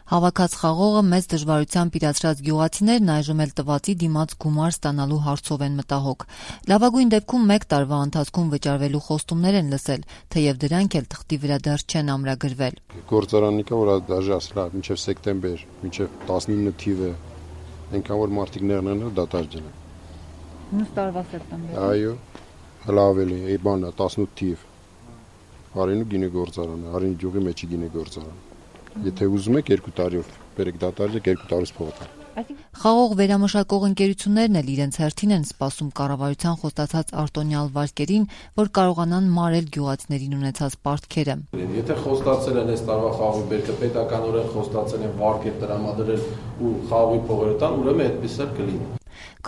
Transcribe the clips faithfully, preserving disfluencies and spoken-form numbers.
Հավաքած խաղողը մեծ դժվարությամբ իրացրած գյուղացիներն այժմ էլ տվածի դիմաց գումար ստանալու հարցով են մտահոգ։ Լավագույն դեպքում մեկ տարվա ընթացքում վճարվելու խոստումներ են լսել, թեև դրանք էլ թղթի վրա դեռ չեն ամրագրվել։ Գործարանիկա, որ դաժե ասලා մինչև սեպտեմբեր, մինչև տասնինը թիվը, այնքան որ մարդիկ ներնեն դատարկ են։ Նույն տարվա սեպտեմբեր։ Այո, հələ ավելի, այ բանը տասնութ թիվ։ Արինու գինե գործարանը, Արինի գյուղի մեջի գինե գործարանը։ Եթե ուզում եք երկու տարիով բերեք դատարկ երկու տարուց փոխել։ Խաղող վերամշակող ընկերություններն էլ իրենց հերթին են սպասում կառավարության խոստացած արտոնյալ վարկերին, որ կարողանան մարել գյուղացիներին ունեցած պարտքերը։ Եթե խոստացել են այս տարվա խաղողի բերքը պետականորեն խոստացել են վարկեր տրամադրել ու խաղողի փողերը տան, ուրեմն այդպես էլ կլինի։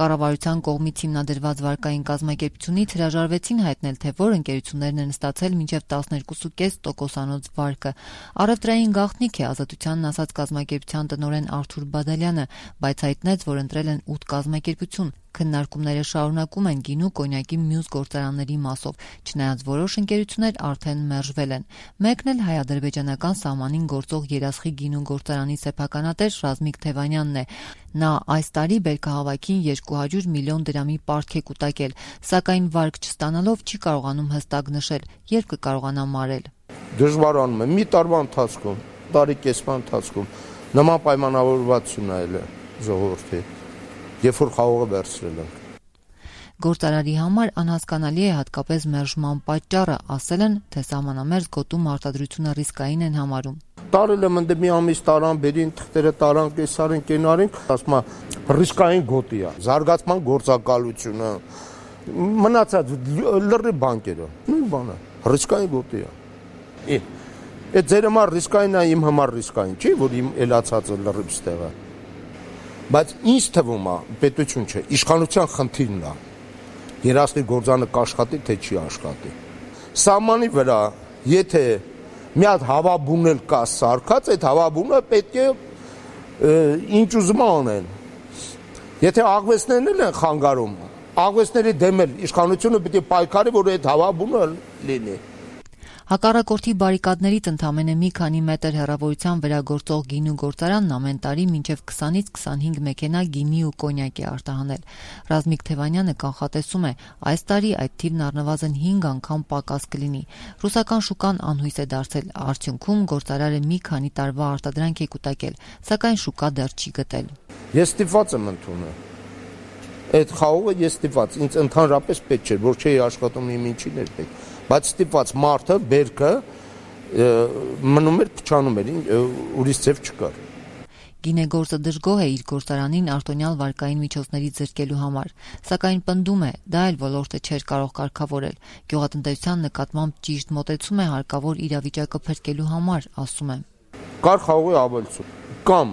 Կառավարության կողմից հիմնադրված վարկային կազմակերպությունից հրաժարվեցին հայտնել, թե որ ընկերություններն են ստացել մինչև տասներկու կես տոկոսանոց վարկը։ Առևտրային գաղտնիք է Ազատությանն ասաց կազմակերպության տնօրեն Արթուր Բադալյանը, բայց հայտնեց, որ ընտրել են ութ կազմակերպություն։ Քննարկումները շարունակում են գինու կոնյակի մյուս գործարանների մասով, չնայած որոշ ընկերություններ արդեն մերժվել են։ Մեկն էլ հայ-ադրբեջանական սահմանին գործող Երասխի գինու գործարանի սեփականատեր Ռազմիկ Թևանյանն է։ Նա այս տարի բերքահավաքին երկու հարյուր միլիոն դրամի պարտք է կուտակել, սակայն վարկ չստանալով չի կարողանում հստակ նշել, երբ կկարողանա մարել։ Դժվարանում է մի տարվա ընթացքում, տարի կեսվա ընթացքում նման պայմանավորվածություն այլ է ժողովրդի, երբ որ խաղողը վերցրել ենք։ Գործարարի համար անհասկանալի է հատկապես մերժման պատճառը, ասել են, թե սահմանամերձ գոտու մարտադրությունը ռիսկային են համարում։ Տարել եմ ընդ մի ամիս տարան, բերին թղթերը տարան, կեսարին, կենարին, ասում է ռիսկային գոտի է, զարգացման գործակալությունը, մնացած լրի բանկերը, նույն բանը, ռիսկային գոտի է։ Այդ ձեր համար ռիսկային է, իմ համար ռիսկային չի, որ իմ էլացածը լրիվ ստեղ է։ Բայց ինձ թվում է, պետություն չէ, իշխանության խնդիրն է։ Երասխի գործանը կաշխատի, թե չի աշխատի։ Սահմանի վրա, եթե մի հատ հավաբուն էլ կա սարքած, այդ հավաբունը պետք է ինչ ուզում անեն։ Եթե աղվեսներն էլ են խանգարում, աղվեսների դեմ էլ իշխանությունը պետք է պայքարի, որ այդ հավաբունը լինի։ Հակառակորդի բարիկադներից ընդամենը մի քանի մետր հեռավորության վրա գործող գինու գործարանն ամեն տարի մինչև քսանից քսանհինգ մեքենա գինի ու կոնյակ է արտահանել։ Ռազմիկ Թևանյանը կանխատեսում է, այս տարի այդ թիվն առնվազն հինգ անգամ պակաս կլինի։ Ռուսական շուկան անհույս է դարձել, արդյունքում գործարարը մի քանի տարվա արտադրանք է կուտակել, սակայն շուկա դեռ չի գտել։ Ես ստիպված եմ ընդունել։ Այդ խաղողը ես ստիպված, ինձ ընդհանրապես պետք չէ, որ չէի աշխատում իմ ինչին էր պետք։ Բայց ստիպված մարդը, բերքը մնում էր, փչանում էր, ուրիշ ձև չկար։ Գինեգործը դժգոհ է իր գործարանին արտոնյալ վարկային միջոցներից զրկելու համար, սակայն պնդում է, դա էլ ոլորտը չէր կարող կարգավորել։ Գյուղատնտեսության նկատմամբ ճիշտ մոտեցում է հարկավոր իրավիճակը փրկելու համար, ասում է։ Կար խաղողի ավելցում կամ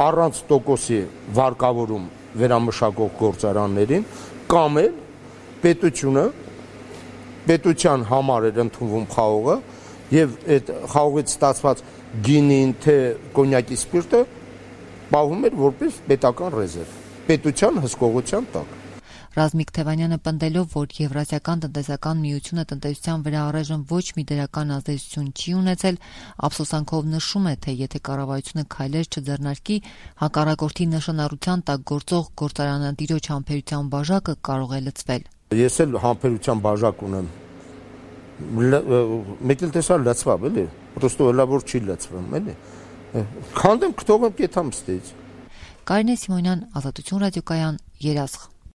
առանց տոկոսի վարկավորում վերամշակող գործարաններին, կամ էլ պետությունը պետության համար էր ընդունվում խաղողը եւ այդ խաղողից ստացված գինին թե կոնյակի սպիրտը պահվում էր որպես պետական ռեզերվ, պետության հսկողության տակ։ Ռազմիկ Թևանյանը պնդելով, որ Եվրասիական տնտեսական միությունը տնտեսության վրա առայժմ ոչ մի դրական ազդեցություն չի ունեցել, ափսոսանքով նշում է, թե եթե կառավարությունը քայլեր չձեռնարկի, հակառակորդի նշանառության տակ գործող գործարանատիրոջ համբերության բաժակը կարող է լցվել։ Ես էլ համբերության բաժակ ունեմ։ Մեկ էլ տեսա լցվավ, էլի։ Պրոստո էլա որ չի լցվում, էլի։ Քանդեմ, կթողեմ կեթամ ստից։ Կարինե Սիմոնյան, Ազատություն ռադիոկայան, Երասխ։